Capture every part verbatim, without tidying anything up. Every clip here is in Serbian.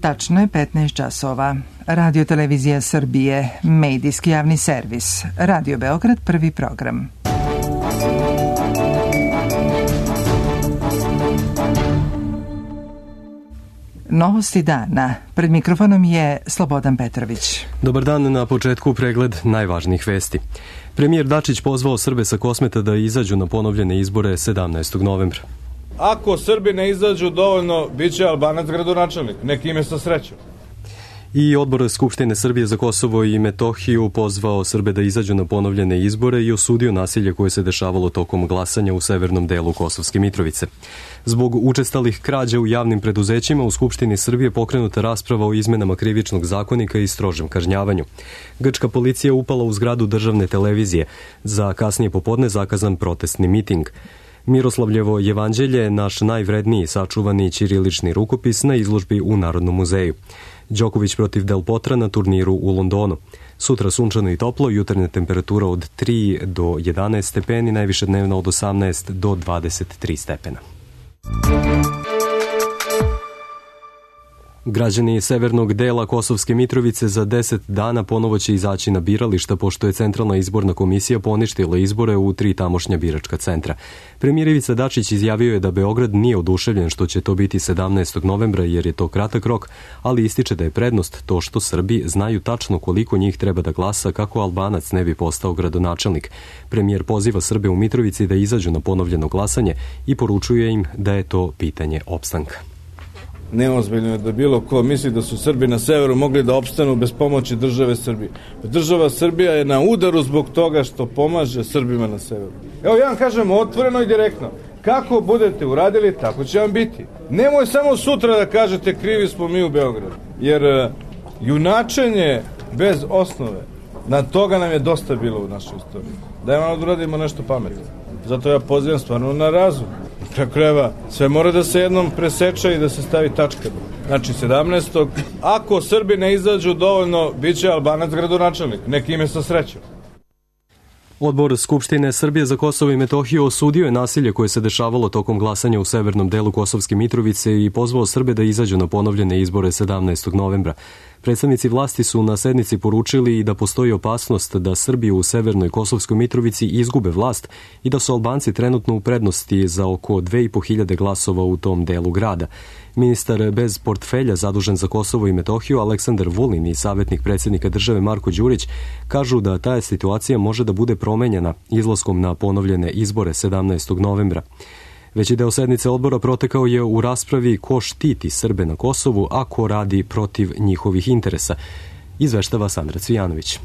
Tačno je petnaest časova. Radio Televizija Srbije, medijski javni servis. Radio Beograd, prvi program. Novosti dana. Pred mikrofonom je Slobodan Petrović. Dobar dan, na početku pregled najvažnijih vesti. Premijer Dačić pozvao Srbe sa Kosmeta da izađu na ponovljene izbore sedamnaestog novembra. Ako Srbi ne izađu dovoljno, bit će Albanac gradonačelnik. Neki ime sa srećom. I Odbor Skupštine Srbije za Kosovo i Metohiju pozvao Srbe da izađu na ponovljene izbore i osudio nasilje koje se dešavalo tokom glasanja u severnom delu Kosovske Mitrovice. Zbog učestalih krađa u javnim preduzećima u Skupštini Srbije pokrenuta rasprava o izmenama krivičnog zakonika i strožem kažnjavanju. Grčka policija upala u zgradu državne televizije. Za kasnije popodne zakazan protestni miting. Miroslavljevo jevanđelje, naš najvredniji sačuvani ćirilični rukopis na izložbi u Narodnom muzeju. Đoković protiv Del Potra na turniru u Londonu. Sutra sunčano i toplo, jutarnja temperatura od tri do jedanaest stepeni, najviše dnevna od osamnaest do dvadeset tri stepena. Građani severnog dela Kosovske Mitrovice za deset dana ponovo će izaći na birališta, pošto je Centralna izborna komisija poništila izbore u tri tamošnja biračka centra. Premijer Ivica Dačić izjavio je da Beograd nije oduševljen što će to biti sedamnaestog novembra, jer je to kratak rok, ali ističe da je prednost to što Srbi znaju tačno koliko njih treba da glasa kako Albanac ne bi postao gradonačelnik. Premijer poziva Srbe u Mitrovici da izađu na ponovljeno glasanje i poručuje im da je to pitanje opstanka. Neozbiljno je da bilo ko misli da su Srbi na severu mogli da opstanu bez pomoći države Srbije. Država Srbija je na udaru zbog toga što pomaže Srbima na severu. Evo ja vam kažem otvoreno i direktno. Kako budete uradili, tako će vam biti. Nemoj samo sutra da kažete krivi smo mi u Beogradu. Jer uh, junačenje bez osnove, na toga nam je dosta bilo u našoj istoriji. Dajmo da uradimo nešto pametno. Zato ja pozivam stvarno na razum. Preko krajeva, sve mora da se jednom preseče i da se stavi tačka. Znači sedamnaestog Ako Srbi ne izađu dovoljno, bit će Albanac gradonačelnik. Neki ime sa srećom. Odbor Skupštine Srbije za Kosovo i Metohiju osudio je nasilje koje se dešavalo tokom glasanja u severnom delu Kosovske Mitrovice i pozvao Srbe da izađu na ponovljene izbore sedamnaestog novembra. Predstavnici vlasti su na sednici poručili i da postoji opasnost da Srbi u severnoj Kosovskoj Mitrovici izgube vlast i da su Albanci trenutno u prednosti za oko dve i po hiljade glasova u tom delu grada. Ministar bez portfelja zadužen za Kosovo i Metohiju Aleksandar Vulin i savjetnik predsjednika države Marko Đurić kažu da ta situacija može da bude promenjena izlaskom na ponovljene izbore sedamnaestog novembra. Veći deo sednice odbora protekao je u raspravi ko štiti Srbe na Kosovu, a ko radi protiv njihovih interesa. Izveštava Sandra Cvijanović.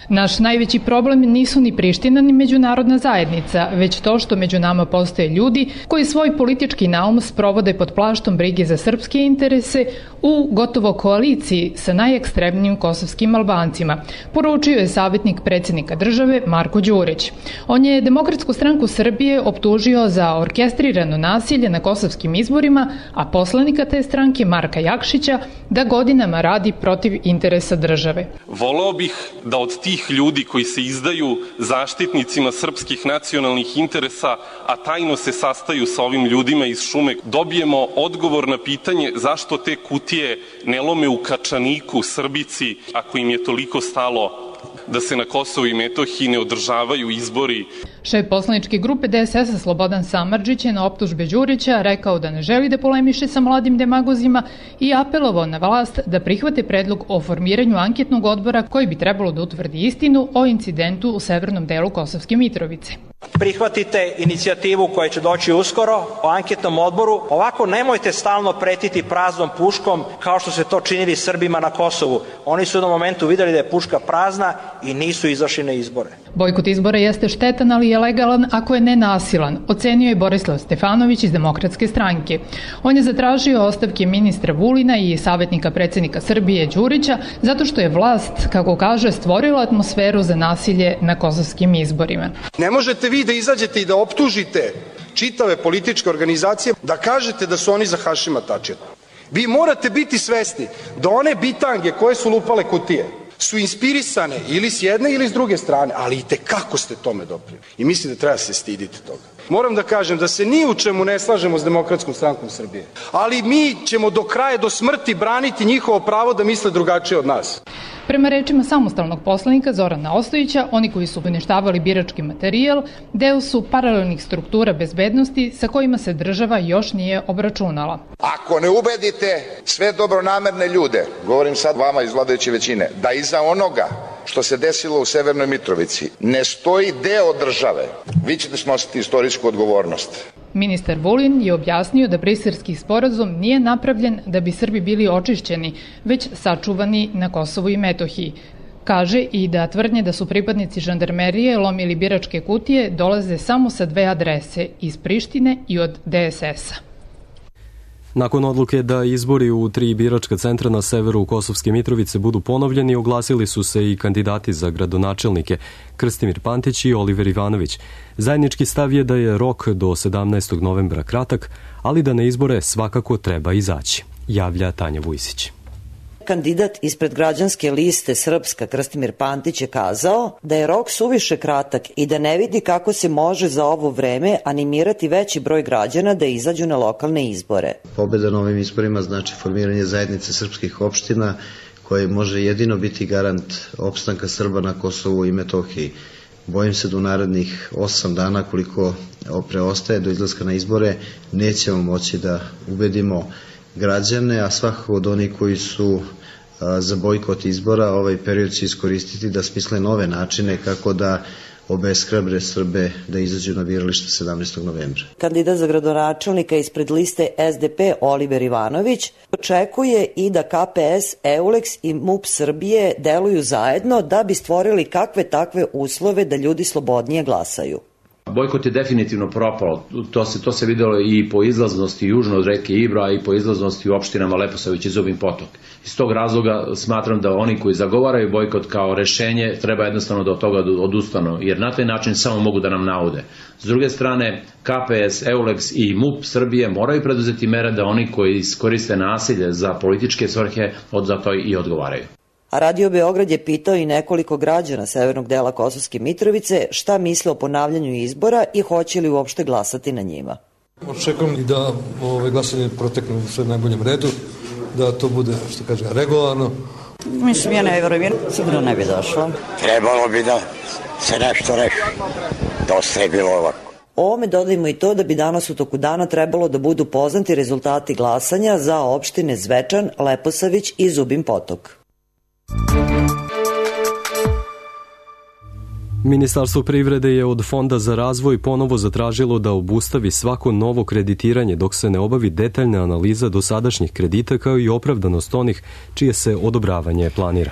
Naš najveći problem nisu ni Priština ni međunarodna zajednica, već to što među nama postoje ljudi koji svoj politički naum sprovode pod plaštom brige za srpske interese u gotovo koaliciji sa najekstremnijim kosovskim Albancima, poručio je savjetnik predsjednika države Marko Đurić. On je Demokratsku stranku Srbije optužio za orkestrirano nasilje na kosovskim izborima, a poslanika te stranke Marka Jakšića da godinama radi protiv interesa države. Voleo bih da od tih ljudi koji se izdaju zaštitnicima srpskih nacionalnih interesa, a tajno se sastaju sa ovim ljudima iz šume, dobijemo odgovor na pitanje zašto te kutije ne lome u Kačaniku, Srbici, ako im je toliko stalo da se na Kosovu i Metohiji ne održavaju izbori. Šef poslaničke grupe D S S-a Slobodan Samardžić je na optužbe Đurića rekao da ne želi da polemiše sa mladim demagozima i apelovao na vlast da prihvate predlog o formiranju anketnog odbora koji bi trebalo da utvrdi istinu o incidentu u severnom delu Kosovske Mitrovice. Prihvatite inicijativu koja će doći uskoro o anketnom odboru. Ovako nemojte stalno pretiti praznom puškom kao što se to činili Srbima na Kosovu. Oni su na momentu videli da je puška prazna i nisu izašli na izbore. Bojkot izbora jeste štetan, ali je legalan ako je nenasilan, ocenio je Borislav Stefanović iz Demokratske stranke. On je zatražio ostavke ministra Vulina i savjetnika predsjednika Srbije Đurića zato što je vlast, kako kaže, stvorila atmosferu za nasilje na kosovskim izborima. Ne možete vi da izađete i da optužite čitave političke organizacije, da kažete da su oni za Hašima Tačija. Vi morate biti svesni da one bitange koje su lupale kutije su inspirisane ili s jedne ili s druge strane, ali i te kako ste tome doprinijeli. I mislim da treba se stiditi toga. moram da kažem da se ni u čemu ne slažemo s Demokratskom strankom Srbije, ali mi ćemo do kraja, do smrti braniti njihovo pravo da misle drugačije od nas. Prema rečima samostalnog poslanika Zorana Ostojića, oni koji su uništavali birački materijal deo su paralelnih struktura bezbednosti sa kojima se država još nije obračunala. Ako ne ubedite sve dobronamerne ljude, govorim sad vama iz vladajuće većine, da iza onoga što se desilo u Severnoj Mitrovici ne stoji deo države, vi ćete snositi istorijsku odgovornost. Ministar Vulin je objasnio da Briselski sporazum nije napravljen da bi Srbi bili očišćeni, već sačuvani na Kosovu i Metohiji. Kaže i da tvrdnje da su pripadnici žandarmerije lomili biračke kutije dolaze samo sa dve adrese, iz Prištine i od D S S-a. Nakon odluke da izbori u tri biračka centra na severu Kosovske Mitrovice budu ponovljeni, oglasili su se i kandidati za gradonačelnike Krstimir Pantić i Oliver Ivanović. Zajednički stav je da je rok do sedamnaestog novembra kratak, ali da na izbore svakako treba izaći, javlja Tanja Vujsić. Kandidat ispred građanske liste Srpska Krstimir Pantić je kazao da je rok suviše kratak i da ne vidi kako se može za ovo vreme animirati veći broj građana da izađu na lokalne izbore. Pobeda na ovim izborima znači formiranje zajednice srpskih opština koje može jedino biti garant opstanka Srba na Kosovu i Metohiji. Bojim se da u narednih osam dana koliko preostaje do izlaska na izbore nećemo moći da ubedimo građane, a svakako od onih koji su a, za bojkot izbora ovaj period će iskoristiti da smisle nove načine kako da obeshrabre Srbe da izađu na biralište sedamnaestog novembra. Kandidat za gradonačelnika ispred liste S D P Oliver Ivanović očekuje i da K P S, Euleks i M U P Srbije deluju zajedno da bi stvorili kakve takve uslove da ljudi slobodnije glasaju. Bojkot je definitivno propao, to se, to se videlo i po izlaznosti južno od reke Ibra i po izlaznosti u opštinama Leposavić i Zubin Potok. Iz tog razloga smatram da oni koji zagovaraju bojkot kao rešenje treba jednostavno da od toga odustanu, jer na taj način samo mogu da nam naude. S druge strane, K P S, Euleks i M U P Srbije moraju preduzeti mere da oni koji koriste nasilje za političke svrhe od za to i odgovaraju. A Radio Beograd je pitao i nekoliko građana severnog dela Kosovske Mitrovice šta misle o ponavljanju izbora i hoće li uopšte glasati na njima. Očekujem i da ove glasanje protekne u sve najboljem redu, da to bude, što kaže, regularno. Mislim, ja ne vjerujem, sigurno ne bi došlo. Trebalo bi da se nešto reši. Dosta je bilo ovako. Ovome dodajmo i to da bi danas u toku dana trebalo da budu poznati rezultati glasanja za opštine Zvečan, Leposavić i Zubin Potok. Ministarstvo privrede je od Fonda za razvoj ponovo zatražilo da obustavi svako novo kreditiranje dok se ne obavi detaljna analiza dosadašnjih kredita kao i opravdanost onih čije se odobravanje planira.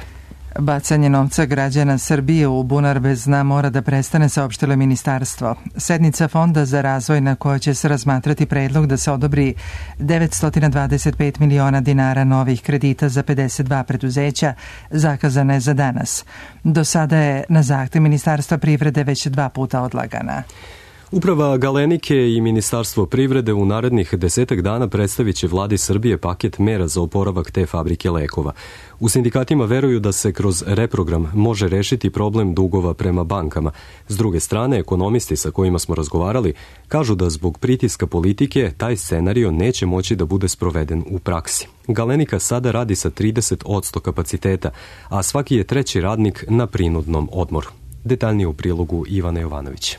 Bacanje novca građana Srbije u bunar bez dna mora da prestane, saopštilo ministarstvo. Sednica Fonda za razvoj na kojoj će se razmatrati predlog da se odobri devetsto dvadeset pet miliona dinara novih kredita za pedeset dva preduzeća zakazana je za danas. Do sada je na zahtev Ministarstva privrede već dva puta odlagana. Uprava Galenike i Ministarstvo privrede u narednih desetak dana predstavit će vladi Srbije paket mera za oporavak te fabrike lekova. U sindikatima veruju da se kroz reprogram može rešiti problem dugova prema bankama. S druge strane, ekonomisti sa kojima smo razgovarali kažu da zbog pritiska politike taj scenario neće moći da bude sproveden u praksi. Galenika sada radi sa trideset posto kapaciteta, a svaki je treći radnik na prinudnom odmoru. Detaljnije u prilogu Ivana Jovanović.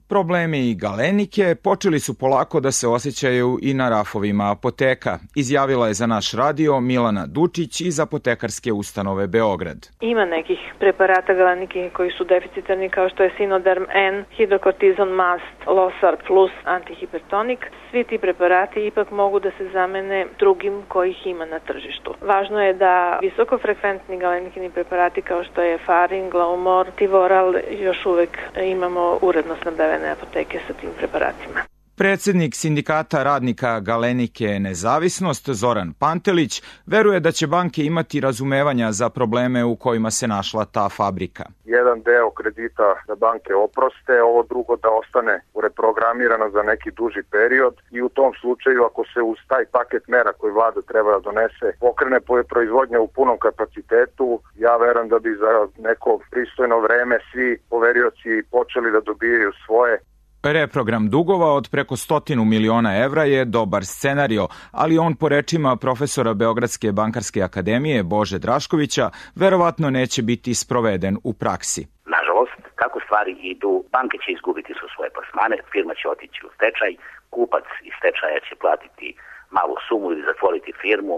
Problemi Galenike počeli su polako da se osjećaju i na rafovima apoteka, izjavila je za naš radio Milana Dučić iz apotekarske ustanove Beograd. Ima nekih preparata Galenike koji su deficitarni kao što je Sinoderm N, Hidrokortizon Mast, Losar Plus, antihipertonik. Svi ti preparati ipak mogu da se zamene drugim kojih ima na tržištu. Važno je da visokofrekventni galenikini preparati kao što je Farin, Glaumor, Tivoral još uvek imamo uredno snabdevene apoteke sa tim preparatima. Predsednik sindikata radnika Galenike Nezavisnost Zoran Pantelić veruje da će banke imati razumevanja za probleme u kojima se našla ta fabrika. Jedan deo kredita da banke oproste, ovo drugo da ostane reprogramirano za neki duži period i u tom slučaju ako se uz taj paket mera koji vlada treba da donese pokrene proizvodnja u punom kapacitetu, ja verujem da bi za neko pristojno vreme svi poverioci počeli da dobijaju svoje. Reprogram dugova od preko stotinu miliona evra je dobar scenario, ali on po rečima profesora Beogradske bankarske akademije Bože Draškovića verovatno neće biti sproveden u praksi. Nažalost, kako stvari idu, banke će izgubiti su svoje plasmane, firma će otići u stečaj, kupac iz stečaja će platiti malu sumu ili zatvoriti firmu,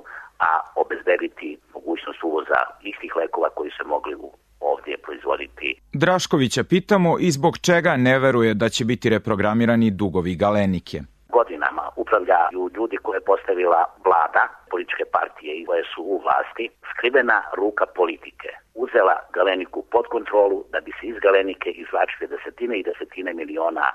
a obezbediti mogućnost uvoza istih lekova koji se mogli u ovdje proizvoditi. Draškovića pitamo i zbog čega ne veruje da će biti reprogramirani dugovi Galenike. Godinama upravljaju ljudi koje je postavila vlada, političke partije i koje su u vlasti, skrivena ruka politike. Uzela Galeniku pod kontrolu da bi se iz Galenike izvlačili desetine i desetine miliona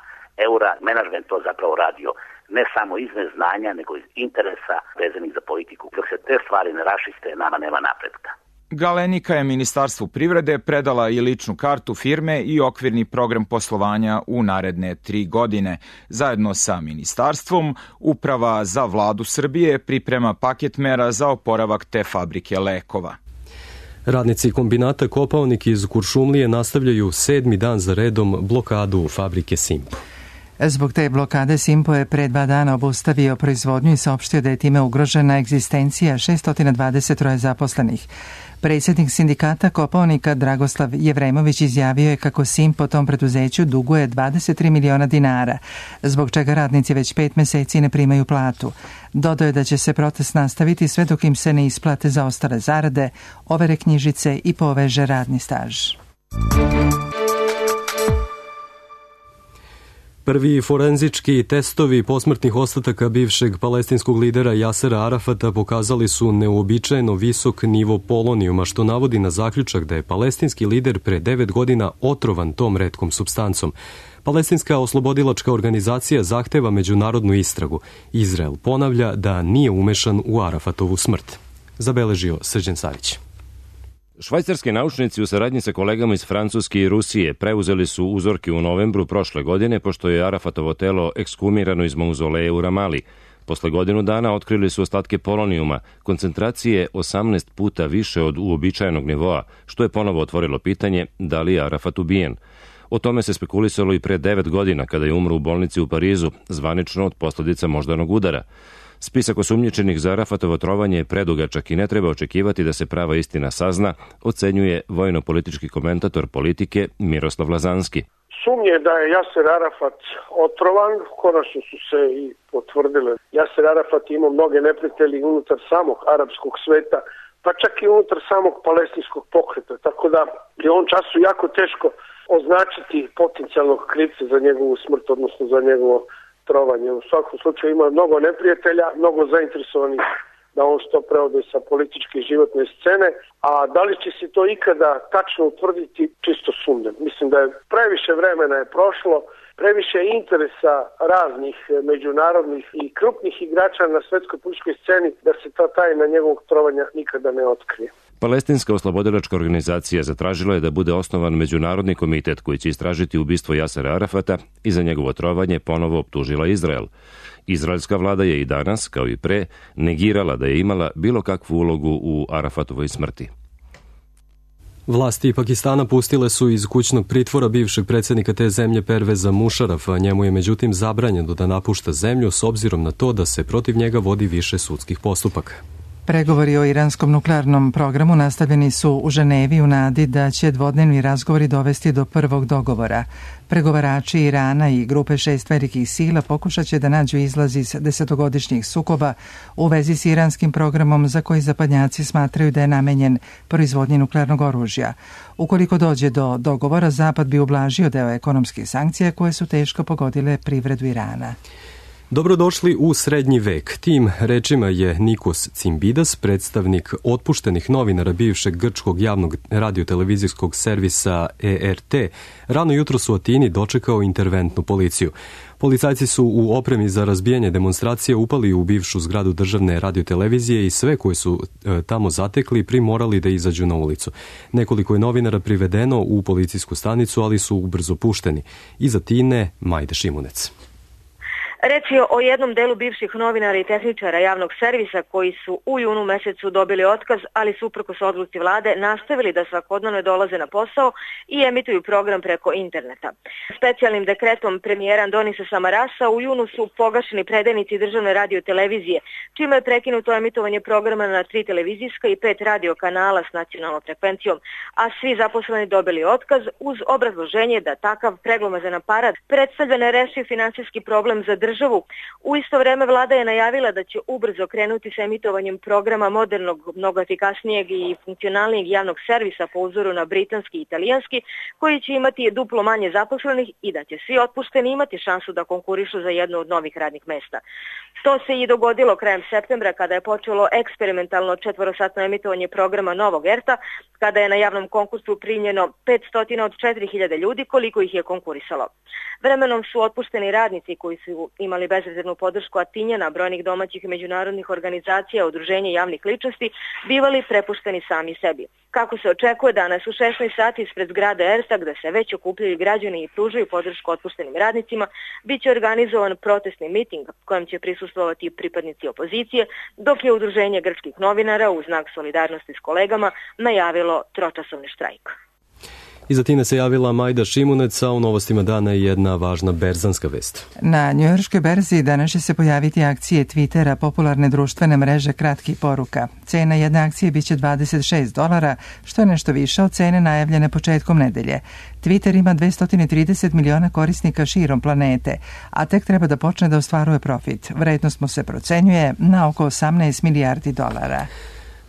eura. Menadžment to zapravo radio ne samo iz neznanja, nego iz interesa vezanih za politiku. Dok se te stvari ne rašiste, nama nema napretka. Galenika je Ministarstvu privrede predala i ličnu kartu firme i okvirni program poslovanja u naredne tri godine. Zajedno sa ministarstvom, Uprava za vladu Srbije priprema paket mera za oporavak te fabrike lekova. Radnici kombinata Kopaonik iz Kuršumlije nastavljaju sedmi dan za redom blokadu fabrike Simpo. Zbog te blokade Simpo je pre dva dana obustavio proizvodnju i saopštio da je time ugrožena egzistencija šesto dvadeset tri zaposlenih. Predsjednik sindikata Kopaonika Dragoslav Jevremović izjavio je kako Simpo tom preduzeću duguje dvadeset tri miliona dinara, zbog čega radnici već pet meseci ne primaju platu. Dodao je da će se protest nastaviti sve dok im se ne isplate zaostale zarade, overe knjižice i poveže radni staž. Prvi forenzički testovi posmrtnih ostataka bivšeg palestinskog lidera Jasera Arafata pokazali su neuobičajeno visok nivo polonijuma, što navodi na zaključak da je palestinski lider pre devet godina otrovan tom retkom supstancom. Palestinska oslobodilačka organizacija zahteva međunarodnu istragu. Izrael ponavlja da nije umešan u Arafatovu smrt. Zabeležio Srđan Savić. Švajcarski naučnici u saradnji sa kolegama iz Francuske i Rusije preuzeli su uzorke u novembru prošle godine, pošto je Arafatovo telo ekskumirano iz mauzoleja u Ramali. Posle godinu dana otkrili su ostatke polonijuma, koncentracije osamnaest puta više od uobičajenog nivoa, što je ponovo otvorilo pitanje da li je Arafat ubijen. O tome se spekulisalo i pre devet godina, kada je umro u bolnici u Parizu, zvanično od posljedica moždanog udara. Spisak osumnjičenih za Arafatovo trovanje je predugačak i ne treba očekivati da se prava istina sazna, ocenjuje vojno-politički komentator politike Miroslav Lazanski. Sumnje da je Jaser Arafat otrovan, konačno su se i potvrdile. Jaser Arafat ima mnoge neprijatelji unutar samog arapskog sveta, pa čak i unutar samog palestinskog pokreta, tako da je on času jako teško označiti potencijalnog krivca za njegovu smrt, odnosno za njegovo trovanje. U svakom slučaju ima mnogo neprijatelja, mnogo zainteresovanih da on što preode sa političke i životne scene, a da li će se to ikada tačno utvrditi, čisto sumnjam. Mislim da je previše vremena je prošlo, previše interesa raznih međunarodnih i krupnih igrača na svetskoj političkoj sceni da se ta tajna njegovog trovanja nikada ne otkrije. Palestinska oslobodilačka organizacija zatražila je da bude osnovan međunarodni komitet koji će istražiti ubistvo Jasera Arafata i za njegovo trovanje ponovo optužila Izrael. Izraelska vlada je i danas, kao i pre, negirala da je imala bilo kakvu ulogu u Arafatovoj smrti. Vlasti Pakistana pustile su iz kućnog pritvora bivšeg predsjednika te zemlje Perveza Mušarafa. Njemu je međutim zabranjeno da napušta zemlju s obzirom na to da se protiv njega vodi više sudskih postupaka. Pregovori o iranskom nuklearnom programu nastavljeni su u Ženevi u nadi da će dvodnevni razgovori dovesti do prvog dogovora. Pregovarači Irana i grupe šest velikih sila pokušat će da nađu izlaz iz desetogodišnjih sukoba u vezi s iranskim programom za koji zapadnjaci smatraju da je namenjen proizvodnji nuklearnog oružja. Ukoliko dođe do dogovora, Zapad bi ublažio deo ekonomskih sankcija koje su teško pogodile privredu Irana. Dobrodošli u srednji vek. Tim rečima je Nikos Cimbidas, predstavnik otpuštenih novinara bivšeg grčkog javnog radiotelevizijskog servisa E R T, rano jutros u Atini dočekao interventnu policiju. Policajci su u opremi za razbijanje demonstracije upali u bivšu zgradu državne radiotelevizije i sve koje su e, tamo zatekli primorali da izađu na ulicu. Nekoliko je novinara privedeno u policijsku stanicu, ali su ubrzo pušteni. Iz Atine, Majda Šimunec. Reč je o jednom delu bivših novinara i tehničara javnog servisa koji su u junu mesecu dobili otkaz, ali su uprkos odluci vlade nastavili da svakodnevno dolaze na posao i emituju program preko interneta. Specijalnim dekretom premijera Andonisa Samarasa u junu su pogašeni predajnici državne radio televizije, čime je prekinuto emitovanje programa na tri televizijska i pet radio kanala s nacionalnom frekvencijom, a svi zaposleni dobili otkaz uz obrazloženje da takav preglomazan aparat predstavlja nerešiv finansijski problem za državu. U isto vreme vlada je najavila da će ubrzo krenuti sa emitovanjem programa modernog, mnogo efikasnijeg i funkcionalnijeg javnog servisa po uzoru na britanski i italijanski, koji će imati duplo manje zaposlenih i da će svi otpušteni imati šansu da konkurišu za jedno od novih radnih mesta. To se i dogodilo krajem septembra kada je počelo eksperimentalno četvorosatno emitovanje programa Novog Erta, kada je na javnom konkursu primljeno petsto od četiri hiljade ljudi koliko ih je konkurisalo. Vremenom su otpušteni radnici koji su imali bezrezervnu podršku Atinjana, brojnih domaćih i međunarodnih organizacija, udruženja javnih ličnosti, bivali prepušteni sami sebi. Kako se očekuje, danas u šesnaest sati ispred zgrade Erta, gde se već okupljaju građani i pružaju podršku otpuštenim radnicima, bit će organizovan protestni miting kojem će prisustvovati pripadnici opozicije, dok je udruženje grčkih novinara u znak solidarnosti s kolegama najavilo tročasovni štrajk. Iza time se javila Majda Šimunec, a u novostima dana je jedna važna berzanska vest. Na njujorškoj berzi danas će se pojaviti akcije Twittera, popularne društvene mreže kratkih poruka. Cena jedne akcije biće dvadeset šest dolara, što je nešto više od cene najavljene početkom nedelje. Twitter ima dvesta trideset miliona korisnika širom planete, a tek treba da počne da ostvaruje profit. Vrednost mu se procenjuje na oko osamnaest milijardi dolara.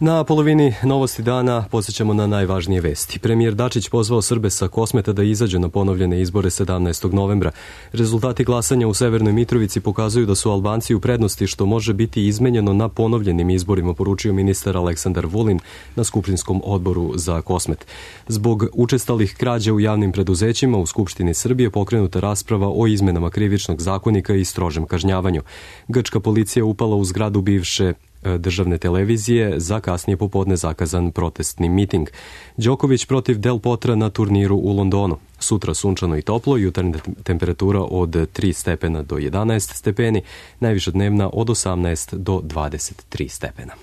Na polovini novosti dana podsjećamo na najvažnije vesti. Premijer Dačić pozvao Srbe sa Kosmeta da izađu na ponovljene izbore sedamnaestog novembra. Rezultati glasanja u Severnoj Mitrovici pokazuju da su Albanci u prednosti, što može biti izmenjeno na ponovljenim izborima, poručio ministar Aleksandar Vulin na Skupštinskom odboru za Kosmet. Zbog učestalih krađa u javnim preduzećima u Skupštini Srbije pokrenuta rasprava o izmenama krivičnog zakonika i strožem kažnjavanju. Grčka policija upala u zgradu bivše državne televizije za kasnije popodne zakazan protestni miting. Đoković protiv Del Potra na turniru u Londonu. Sutra sunčano i toplo, jutarnja temperatura od tri stepena do jedanaest stepeni, najviša dnevna od osamnaest do dvadeset tri stepena.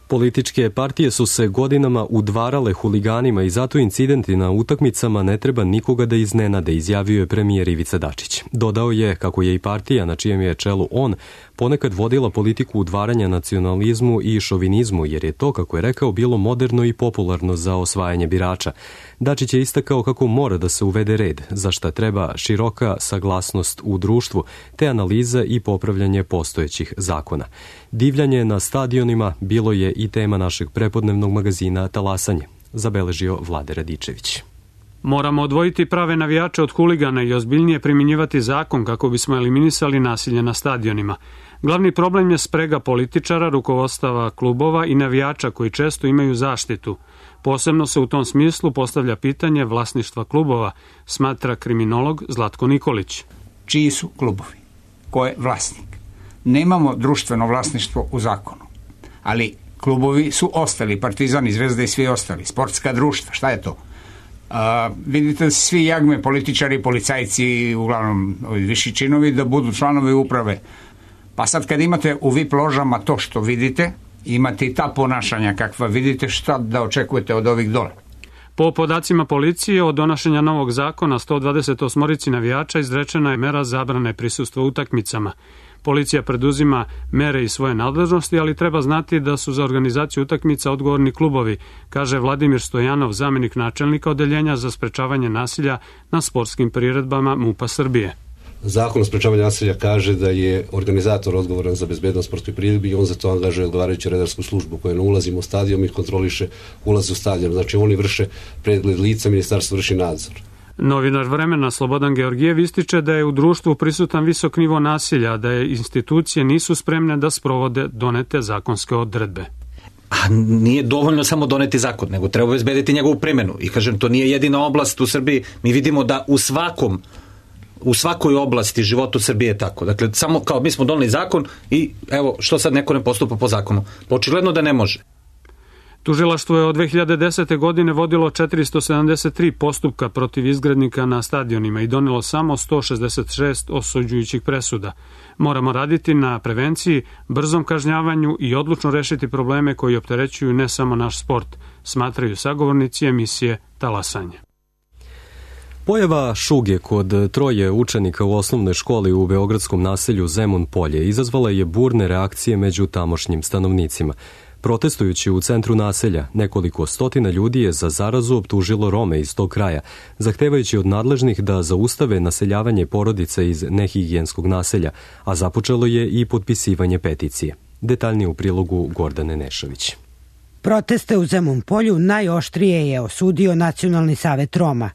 Političke partije su se godinama udvarale huliganima i zato incidenti na utakmicama ne treba nikoga da iznenade, izjavio je premijer Ivica Dačić. Dodao je kako je i partija na čijem je čelu on ponekad vodila politiku udvaranja nacionalizmu i šovinizmu, jer je to, kako je rekao, bilo moderno i popularno za osvajanje birača. Dačić je istakao kako mora da se uvede red, za šta treba široka saglasnost u društvu, te analiza i popravljanje postojećih zakona. Divljanje na stadionima bilo je i tema našeg prepodnevnog magazina Talasanje, zabeležio Vlade Radičević. Moramo odvojiti prave navijače od huligana i ozbiljnije primjenjivati zakon kako bismo eliminisali nasilje na stadionima. Glavni problem je sprega političara, rukovodstava klubova i navijača koji često imaju zaštitu. Posebno se u tom smislu postavlja pitanje vlasništva klubova, smatra kriminolog Zlatko Nikolić. Čiji su klubovi? Ko je vlasnik? Nemamo društveno vlasništvo u zakonu, ali klubovi su ostali, Partizan i Zvezda i svi ostali, sportska društva, šta je to? A, vidite, svi jagme, političari, policajci, uglavnom viši činovi, da budu članovi uprave. Pa sad kad imate u V I P ložama to što vidite, imate i ta ponašanja kakva vidite, šta da očekujete od ovih dole? Po podacima policije, od donošenja novog zakona sto dvadeset osam navijača izrečena je mera zabrane prisustva utakmicama. Policija preduzima mere iz svoje nadležnosti, ali treba znati da su za organizaciju utakmica odgovorni klubovi, kaže Vladimir Stojanov, zamenik načelnika odeljenja za sprečavanje nasilja na sportskim priredbama MUP-a Srbije. Zakon o sprečavanju nasilja kaže da je organizator odgovoran za bezbednost sportskih priredbi i on za to angažuje odgovarajuću redarsku službu koja ne ulazi u stadion i kontroliše ulaz u stadion. Znači oni vrše pregled lica, ministarstvo vrši nadzor. Novinar Vremena Slobodan Georgijev ističe da je u društvu prisutan visok nivo nasilja, da je institucije nisu spremne da sprovode donete zakonske odredbe. A nije dovoljno samo doneti zakon, nego treba obezbediti njegovu primjenu. I kažem, to nije jedina oblast u Srbiji. Mi vidimo da u svakom u svakoj oblasti života Srbije je tako. Dakle, samo kao mi smo doneli zakon i evo, što sad neko ne postupa po zakonu? Očigledno da ne može. Tužilaštvo je od dve hiljade desete. godine vodilo četiristo sedamdeset tri postupka protiv izgrednika na stadionima i donelo samo sto šezdeset šest osuđujućih presuda. Moramo raditi na prevenciji, brzom kažnjavanju i odlučno rešiti probleme koji opterećuju ne samo naš sport, smatraju sagovornici emisije Talasanje. Pojava šuge kod troje učenika u osnovnoj školi u beogradskom naselju Zemun Polje izazvala je burne reakcije među tamošnjim stanovnicima. Protestujući u centru naselja, nekoliko stotina ljudi je za zarazu optužilo Rome iz tog kraja, zahtevajući od nadležnih da zaustave naseljavanje porodica iz nehigijenskog naselja, a započelo je i potpisivanje peticije. Detaljnije u prilogu Gordane Nešović. Proteste u Zemun Polju najoštrije je osudio Nacionalni savet Roma.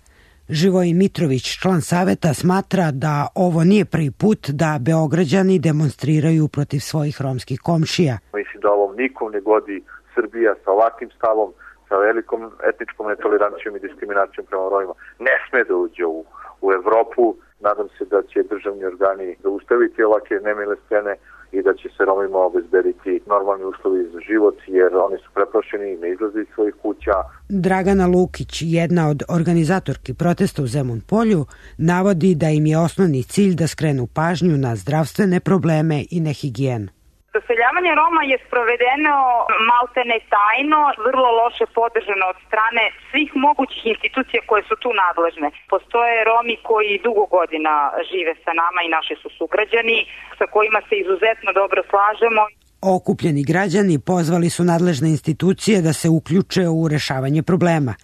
Živojin Mitrović, član saveta, smatra da ovo nije prvi put da Beograđani demonstriraju protiv svojih romskih komšija. Mislim da ovom nikom ne godi Srbija sa ovakvim stavom, sa velikom etničkom netolerancijom i diskriminacijom prema Romima. Ne sme da uđe u, u Evropu. Nadam se da će državni organi zaustaviti ovakve nemile scene i da će se Romima obezbediti normalni uslovi za život, jer oni su preplašeni i ne izlaze iz svojih kuća. Dragana Lukić, jedna od organizatorki protesta u Zemun Polju, navodi da im je osnovni cilj da skrenu pažnju na zdravstvene probleme i nehigijenu. Doseljavanje Roma je sprovedeno maltene tajno, vrlo loše podržano od strane svih mogućih institucija koje su tu nadležne. Postoje Romi koji dugo godina žive sa nama i naši su sugrađani, sa kojima se izuzetno dobro slažemo. Okupljeni građani pozvali su nadležne institucije da se uključe u rešavanje problema.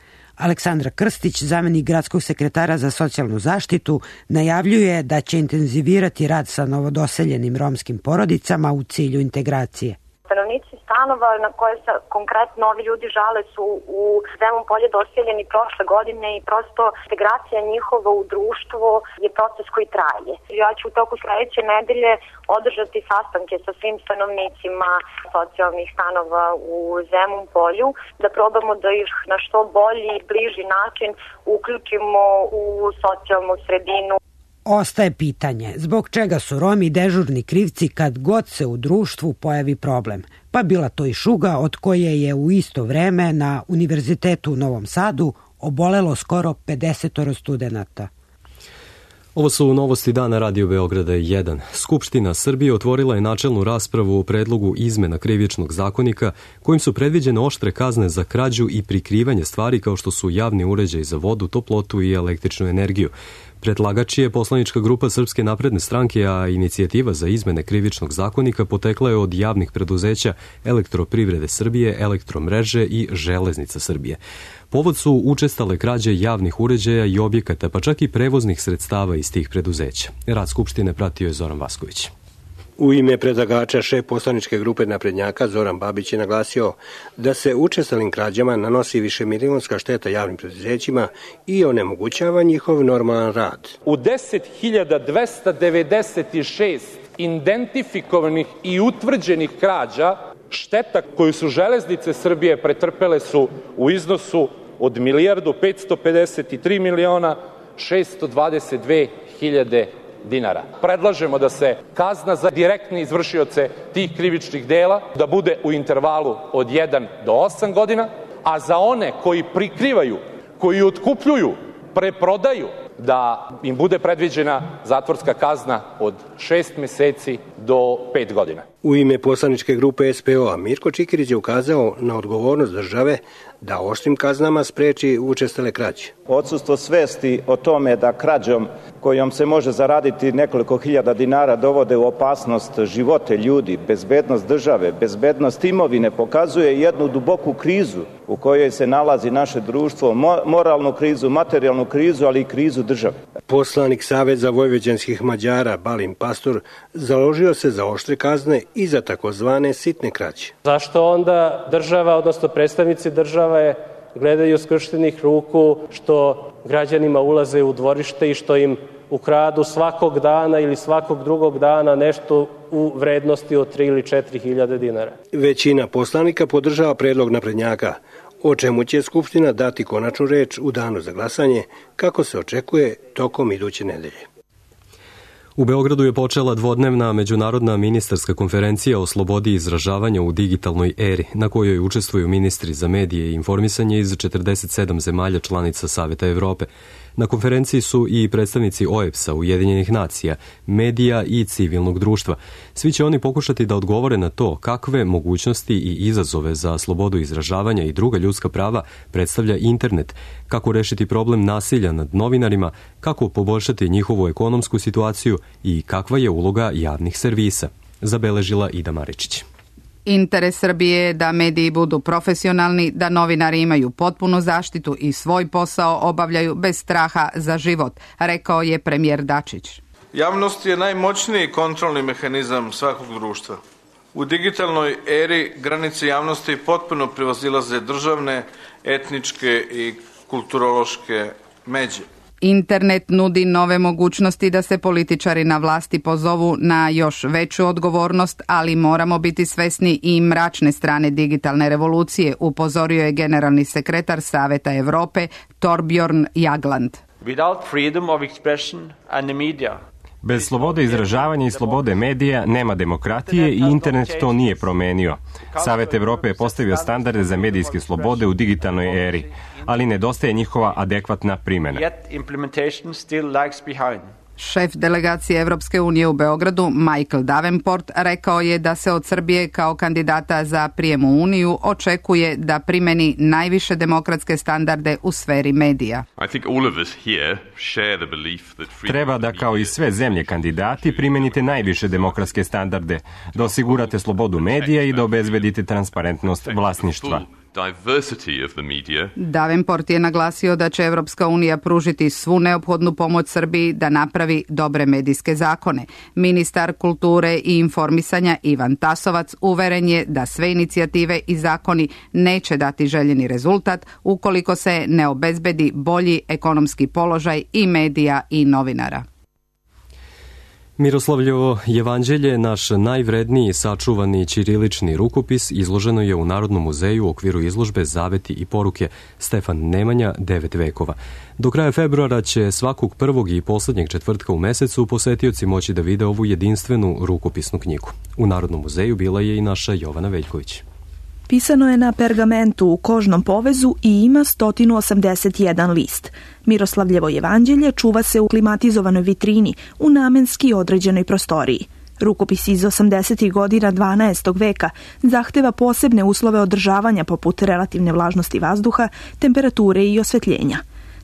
Aleksandra Krstić, zamenik gradskog sekretara za socijalnu zaštitu, najavljuje da će intenzivirati rad sa novodoseljenim romskim porodicama u cilju integracije. Stanovnici stanova na koje se konkretno ovi ljudi žale su u Zemun Polje doseljeni prošle godine i prosto integracija njihova u društvo je proces koji traje. Ja ću u toku sledeće nedelje održati sastanke sa svim stanovnicima socijalnih stanova u Zemun Polju, da probamo da ih na što bolji i bliži način uključimo u socijalnu sredinu. Ostaje pitanje zbog čega su Romi dežurni krivci kad god se u društvu pojavi problem, pa bila to i šuga od koje je u isto vreme na Univerzitetu u Novom Sadu obolelo skoro pedeset studenata. Ovo su novosti dana Radio Beograda jedan. Skupština Srbije otvorila je načelnu raspravu o predlogu izmena krivičnog zakonika kojim su predviđene oštre kazne za krađu i prikrivanje stvari kao što su javni uređaj za vodu, toplotu i električnu energiju. Predlagač je poslanička grupa Srpske napredne stranke, a inicijativa za izmene krivičnog zakonika potekla je od javnih preduzeća Elektroprivrede Srbije, Elektromreže i Železnica Srbije. Povod su učestale krađe javnih uređaja i objekata, pa čak i prevoznih sredstava iz tih preduzeća. Rad Skupštine pratio je Zoran Vasković. U ime predlagača šef poslaničke grupe naprednjaka Zoran Babić je naglasio da se učestalim krađama nanosi višemilionska šteta javnim preduzećima i onemogućava njihov normalan rad. U deset hiljada dvesta devedeset šest identifikovanih i utvrđenih krađa šteta koju su Železnice Srbije pretrpele su u iznosu od milijardu petsto pedeset tri miliona šesto dvadeset dve hiljade dinara. Predlažemo da se kazna za direktne izvršioce tih krivičnih dela da bude u intervalu od jedan do osam godina, a za one koji prikrivaju, koji otkupljuju, preprodaju, da im bude predviđena zatvorska kazna od šest meseci do pet godina. U ime poslaničke grupe S P O-a Mirko Čikirić je ukazao na odgovornost države da oštrim kaznama spreči učestale krađe. Odsustvo svesti o tome da krađom kojom se može zaraditi nekoliko hiljada dinara dovode u opasnost živote ljudi, bezbednost države, bezbednost imovine, pokazuje jednu duboku krizu u kojoj se nalazi naše društvo, moralnu krizu, materijalnu krizu, ali i krizu države. Poslanik Saveza vojvođanskih Mađara Balin Pastor založio se za oštre kazne i za takozvane sitne krađe. Zašto onda država, odnosno predstavnici države, gledaju skrštenih ruku što građanima ulaze u dvorište i što im ukradu svakog dana ili svakog drugog dana nešto u vrednosti od tri ili četiri hiljade dinara? Većina poslanika podržava predlog naprednjaka, o čemu će Skupština dati konačnu reč u danu za glasanje, kako se očekuje tokom iduće nedelje. U Beogradu je počela dvodnevna međunarodna ministarska konferencija o slobodi izražavanja u digitalnoj eri, na kojoj učestvuju ministri za medije i informisanje iz četrdeset sedam zemalja članica Saveta Evrope. Na konferenciji su i predstavnici O E B S-a, Ujedinjenih nacija, medija i civilnog društva. Svi će oni pokušati da odgovore na to kakve mogućnosti i izazove za slobodu izražavanja i druga ljudska prava predstavlja internet, kako rešiti problem nasilja nad novinarima, kako poboljšati njihovu ekonomsku situaciju i kakva je uloga javnih servisa, zabeležila Ida Maričić. Interes Srbije je da mediji budu profesionalni, da novinari imaju potpunu zaštitu i svoj posao obavljaju bez straha za život, rekao je premijer Dačić. Javnost je najmoćniji kontrolni mehanizam svakog društva. U digitalnoj eri granice javnosti potpuno prevazilaze državne, etničke i kulturološke međe. Internet nudi nove mogućnosti da se političari na vlasti pozovu na još veću odgovornost, ali moramo biti svesni i mračne strane digitalne revolucije, upozorio je generalni sekretar Saveta Evrope Torbjorn Jagland. Without freedom of expression and the media, bez slobode izražavanja i slobode medija nema demokratije i internet to nije promenio. Savet Evrope je postavio standarde za medijske slobode u digitalnoj eri, ali nedostaje njihova adekvatna primjena. Šef delegacije Evropske unije u Beogradu, Michael Davenport, rekao je da se od Srbije kao kandidata za prijem u Uniju očekuje da primeni najviše demokratske standarde u sferi medija. Treba da kao i sve zemlje kandidati primenite najviše demokratske standarde, da osigurate slobodu medija i da obezbedite transparentnost vlasništva. Davenport je naglasio da će Evropska unija pružiti svu neophodnu pomoć Srbiji da napravi dobre medijske zakone. Ministar kulture i informisanja Ivan Tasovac uveren je da sve inicijative i zakoni neće dati željeni rezultat ukoliko se ne obezbedi bolji ekonomski položaj i medija i novinara. Miroslavljevo jevanđelje, naš najvredniji sačuvani ćirilični rukopis, izloženo je u Narodnom muzeju u okviru izložbe Zaveti i poruke Stefan Nemanja, devet vekova. Do kraja februara će svakog prvog i poslednjeg četvrtka u mesecu posetioci moći da vide ovu jedinstvenu rukopisnu knjigu. U Narodnom muzeju bila je i naša Jovana Veljković. Pisano je na pergamentu u kožnom povezu i ima sto osamdeset jedan list. Miroslavljevo jevanđelje čuva se u klimatizovanoj vitrini u namenski određenoj prostoriji. Rukopis iz osamdesetih godina dvanaestog veka zahteva posebne uslove održavanja poput relativne vlažnosti vazduha, temperature i osvetljenja.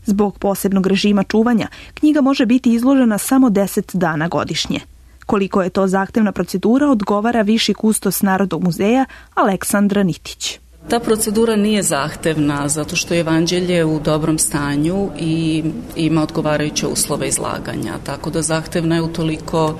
Zbog posebnog režima čuvanja, knjiga može biti izložena samo deset dana godišnje. Koliko je to zahtevna procedura, odgovara viši kustos Narodnog muzeja Aleksandra Nitić. Ta procedura nije zahtevna zato što je evanđelje u dobrom stanju i ima odgovarajuće uslove izlaganja, tako da zahtevna je utoliko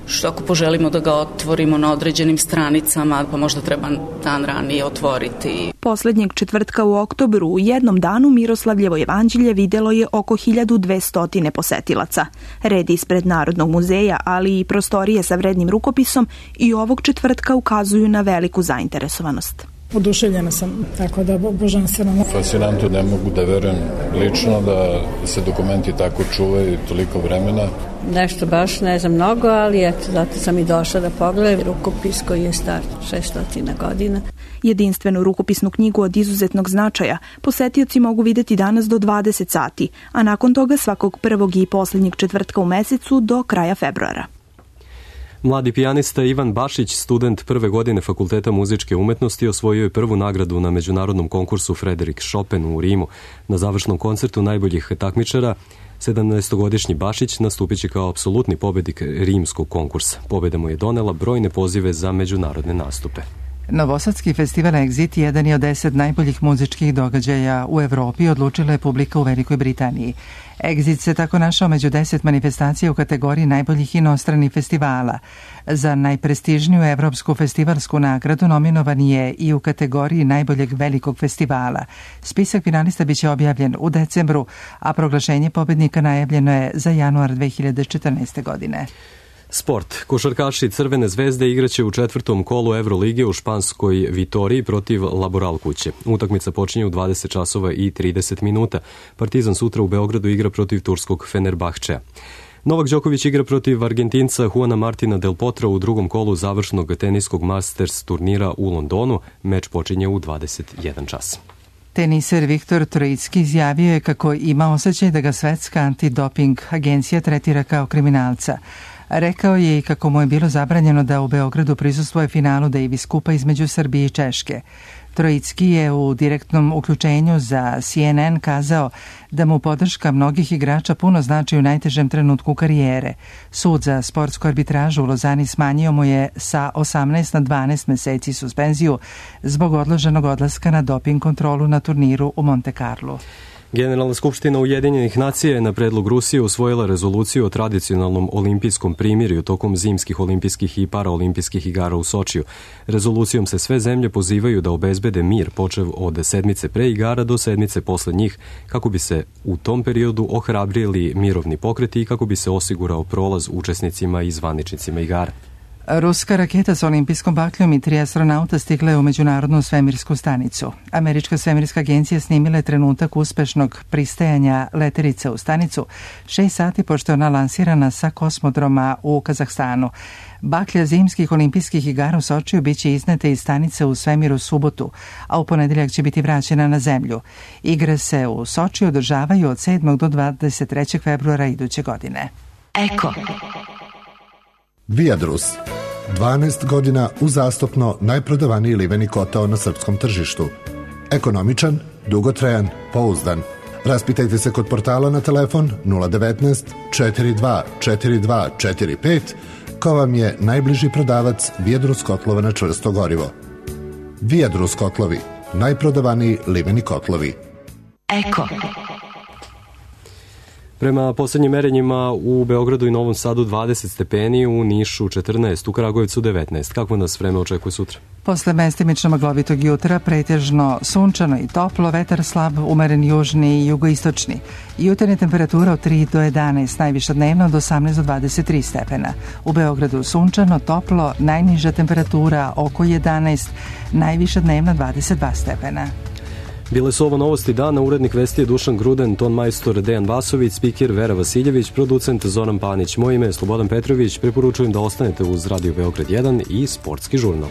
što ako poželimo da ga otvorimo na određenim stranicama, pa možda treba dan ranije otvoriti. Poslednjeg četvrtka u oktobru u jednom danu Miroslavljevo jevanđelje videlo je oko hiljadu dvesta posetilaca. Red ispred Narodnog muzeja, ali i prostorije sa vrednim rukopisom i ovog četvrtka ukazuju na veliku zainteresovanost. Oduševljena sam, tako da božanstveno. Fascinantno, ne mogu da verujem lično da se dokumenti tako čuvaju toliko vremena. Nešto baš ne znam mnogo, ali eto, zato sam i došla da pogledam rukopis koji je star šesto godina. Jedinstvenu rukopisnu knjigu od izuzetnog značaja posetioci mogu videti danas do dvadeset sati, a nakon toga svakog prvog i poslednjeg četvrtka u mesecu do kraja februara. Mladi pijanista Ivan Bašić, student prve godine Fakulteta muzičke umetnosti, osvojio je prvu nagradu na međunarodnom konkursu Frederik Chopin u Rimu. Na završnom koncertu najboljih takmičara sedamnaestogodišnji Bašić nastupit će kao apsolutni pobednik rimskog konkursa. Pobeda mu je donela brojne pozive za međunarodne nastupe. Novosadski festival Exit jedan je od deset najboljih muzičkih događaja u Evropi, odlučila je publika u Velikoj Britaniji. Exit se tako našao među deset manifestacija u kategoriji najboljih inostranih festivala. Za najprestižniju evropsku festivalsku nagradu nominovan je i u kategoriji najboljeg velikog festivala. Spisak finalista biće objavljen u decembru, a proglašenje pobednika najavljeno je za januar dve hiljade četrnaeste. godine. Sport. Košarkaši Crvene zvezde igraće u četvrtom kolu Evrolige u španskoj Vitoriji protiv Laboral kuće. Utakmica počinje u dvadeset časova i trideset minuta. Partizan sutra u Beogradu igra protiv turskog Fenerbahčea. Novak Đoković igra protiv Argentinca Juana Martina Del Potra u drugom kolu završnog teniskog Masters turnira u Londonu. Meč počinje u dvadeset jedan čas. Teniser Viktor Trojicki izjavio je kako ima osjećaj da ga svetska antidoping agencija tretira kao kriminalca. Rekao je i kako mu je bilo zabranjeno da u Beogradu prisustvuje finalu Davis Kupa između Srbije i Češke. Trojicki je u direktnom uključenju za C N N kazao da mu podrška mnogih igrača puno znači u najtežem trenutku karijere. Sud za sportsku arbitražu u Lozani smanjio mu je sa osamnaest na dvanaest meseci suspenziju zbog odloženog odlaska na doping kontrolu na turniru u Monte Carlo. Generalna skupština Ujedinjenih nacija je na predlog Rusije usvojila rezoluciju o tradicionalnom olimpijskom primirju tokom zimskih olimpijskih i paraolimpijskih igara u Sočiju. Rezolucijom se sve zemlje pozivaju da obezbede mir počev od sedmice pre igara do sedmice posle njih, kako bi se u tom periodu ohrabrili mirovni pokreti i kako bi se osigurao prolaz učesnicima i zvaničnicima igara. Ruska raketa s olimpijskom bakljom i tri astronauta stigla je u Međunarodnu svemirsku stanicu. Američka svemirska agencija snimila je trenutak uspešnog pristajanja letelice u stanicu šest sati pošto je ona lansirana sa kosmodroma u Kazahstanu. Baklja zimskih olimpijskih igara u Sočiju biće iznete iz stanice u svemiru subotu, a u ponedeljak će biti vraćena na zemlju. Igre se u Sočiju održavaju od sedmog do dvadeset trećeg februara iduće godine. Eko. Viadrus. dvanaest godina uzastopno najprodavaniji liveni kotao na srpskom tržištu. Ekonomičan, dugotrajan, pouzdan. Raspitajte se kod portala na telefon nula devetnaest četrdeset dva četrdeset dva četrdeset pet ko vam je najbliži prodavac Viadrus kotlova na čvrsto gorivo. Viadrus kotlovi, najprodavaniji liveni kotlovi. Eko. Prema poslednjim merenjima u Beogradu i Novom Sadu dvadeset stepeni, u Nišu četrnaest, u Kragujevcu devetnaest. Kako nas vreme očekuje sutra? Posle mestimično maglovitog jutra pretežno sunčano i toplo, vetar slab, umeren južni i jugoistočni. Jutarnja temperatura od tri do jedanaest, najviša dnevna od osamnaest do dvadeset tri stepena. U Beogradu sunčano, toplo, najniža temperatura oko jedanaest, najviša dnevna dvadeset dva stepena. Bile su ovo novosti dana, urednik vesti je Dušan Gruden, ton majstor Dejan Vasović, spiker Vera Vasiljević, producent Zoran Panić. Moje ime je Slobodan Petrović, preporučujem da ostanete uz Radio Beograd jedan i Sportski žurnal.